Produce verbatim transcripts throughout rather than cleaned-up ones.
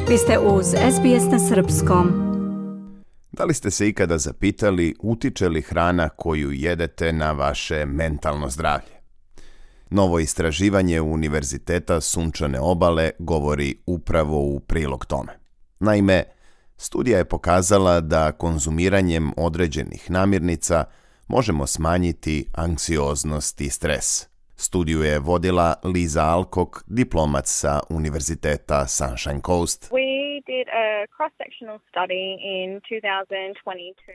Vi ste uz S B S na srpskom. Da li ste se ikada zapitali utiče li hrana koju jedete na vaše mentalno zdravlje? Novo istraživanje Univerziteta Sunčane obale govori upravo u prilog tome. Naime, studija je pokazala da konzumiranjem određenih namirnica možemo smanjiti anksioznost i stres. Studiju je vodila Lisa Alcock, diplomac sa Univerziteta Sunshine Coast.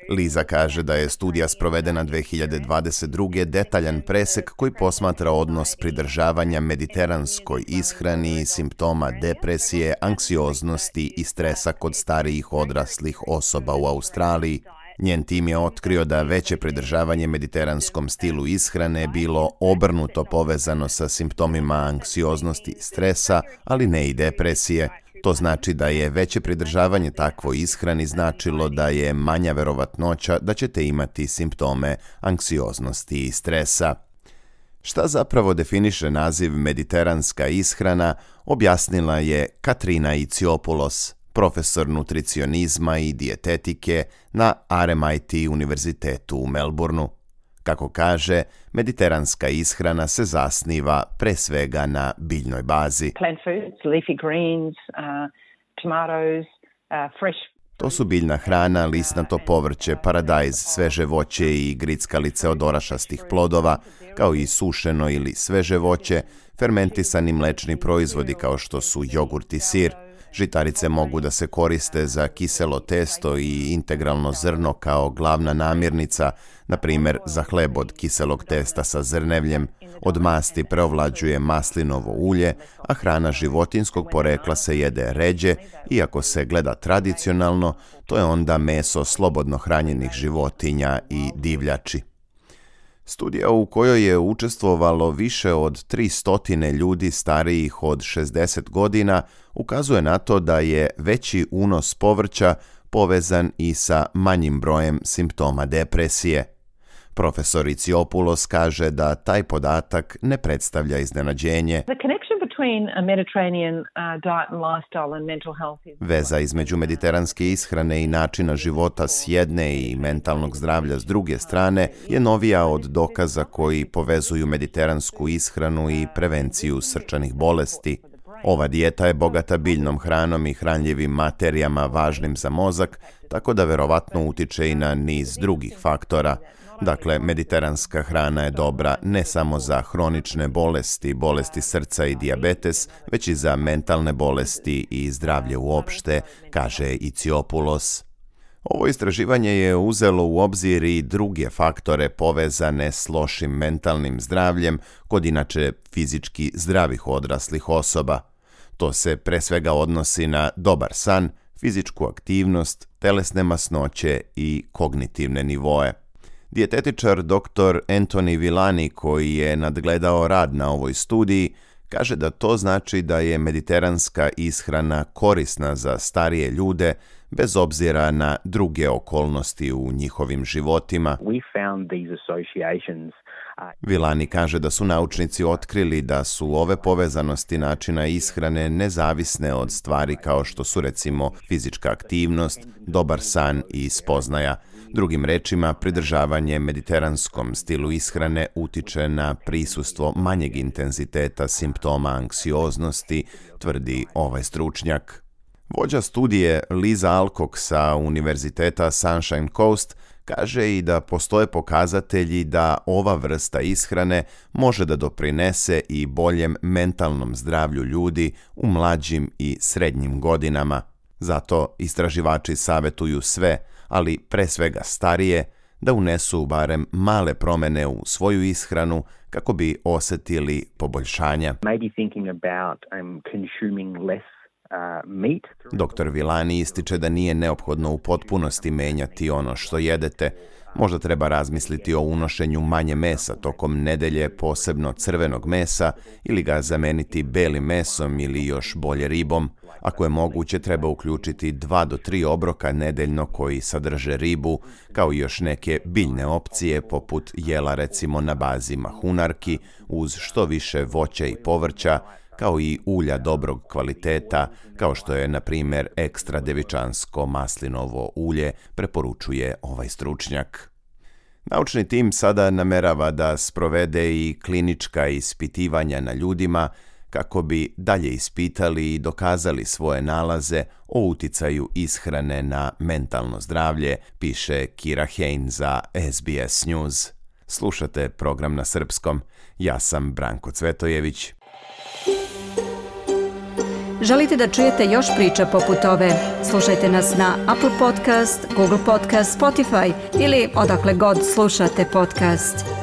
Lisa kaže da je studija sprovedena dve hiljade dvadeset druge detaljan presek koji posmatra odnos pridržavanja mediteranskoj ishrani, simptoma depresije, anksioznosti i stresa kod starijih odraslih osoba u Australiji. Njen tim je otkrio da veće pridržavanje mediteranskom stilu ishrane bilo obrnuto povezano sa simptomima anksioznosti i stresa, ali ne i depresije. To znači da je veće pridržavanje takvoj ishrani značilo da je manja verovatnoća da ćete imati simptome anksioznosti i stresa. Šta zapravo definiše naziv mediteranska ishrana, objasnila je Katrina Iciopoulos, profesor nutricionizma i dijetetike na R M I T univerzitetu u Melbourneu. Kako kaže, mediteranska ishrana se zasniva pre svega na biljnoj bazi. Plant foods, leafy greens, uh, tomatoes, uh, fresh. To su biljna hrana, lisnato povrće, paradajz, sveže voće i grickalice od orašastih plodova, kao i sušeno ili sveže voće, fermentisani mlečni proizvodi kao što su jogurt i sir. Žitarice mogu da se koriste za kiselo testo i integralno zrno kao glavna namirnica, na primjer za hleb od kiselog testa sa zrnevljem, od masti preovlađuje maslinovo ulje, a hrana životinjskog porekla se jede ređe, iako se gleda tradicionalno, to je onda meso slobodno hranjenih životinja i divljači. Studija u kojoj je učestvovalo više od tristo ljudi starijih od šezdeset godina ukazuje na to da je veći unos povrća povezan i sa manjim brojem simptoma depresije. Profesor Iciopoulos kaže da taj podatak ne predstavlja iznenađenje. Veza između mediteranske ishrane i načina života s jedne i mentalnog zdravlja s druge strane je novija od dokaza koji povezuju mediteransku ishranu i prevenciju srčanih bolesti. Ova dijeta je bogata biljnom hranom i hranljivim materijama važnim za mozak, tako da verovatno utiče i na niz drugih faktora. Dakle, mediteranska hrana je dobra ne samo za hronične bolesti, bolesti srca i dijabetes, već i za mentalne bolesti i zdravlje uopšte, kaže Iciopoulos. Ovo istraživanje je uzelo u obzir i druge faktore povezane s lošim mentalnim zdravljem kod inače fizički zdravih odraslih osoba. To se pre svega odnosi na dobar san, fizičku aktivnost, telesne masnoće i kognitivne nivoe. Dijetetičar doktor Anthony Villani, koji je nadgledao rad na ovoj studiji, kaže da to znači da je mediteranska ishrana korisna za starije ljude bez obzira na druge okolnosti u njihovim životima. Villani kaže da su naučnici otkrili da su ove povezanosti načina ishrane nezavisne od stvari kao što su recimo fizička aktivnost, dobar san i spoznaja. Drugim rečima, pridržavanje mediteranskom stilu ishrane utiče na prisustvo manjeg intenziteta simptoma anksioznosti, tvrdi ovaj stručnjak. Vođa studije Lisa Alcock sa Univerziteta Sunshine Coast kaže i da postoje pokazatelji da ova vrsta ishrane može da doprinese i boljem mentalnom zdravlju ljudi u mlađim i srednjim godinama. Zato istraživači savjetuju sve, ali pre svega starije, da unesu barem male promjene u svoju ishranu kako bi osjetili poboljšanja. doktor Villani ističe da nije neophodno u potpunosti menjati ono što jedete. Možda treba razmisliti o unošenju manje mesa tokom nedelje, posebno crvenog mesa, ili ga zameniti belim mesom ili još bolje ribom. Ako je moguće, treba uključiti dva do tri obroka nedeljno koji sadrže ribu, kao i još neke biljne opcije poput jela recimo na bazi mahunarki, uz što više voća i povrća, kao i ulja dobrog kvaliteta, kao što je, na primjer, ekstra devičansko maslinovo ulje, preporučuje ovaj stručnjak. Naučni tim sada namerava da sprovede i klinička ispitivanja na ljudima kako bi dalje ispitali i dokazali svoje nalaze o uticaju ishrane na mentalno zdravlje, piše Kira Hein za S B S News. Slušate program na srpskom. Ja sam Branko Cvetojević. Želite da čujete još priča poput ove? Slušajte nas na Apple Podcast, Google Podcast, Spotify ili odakle god slušate podcast.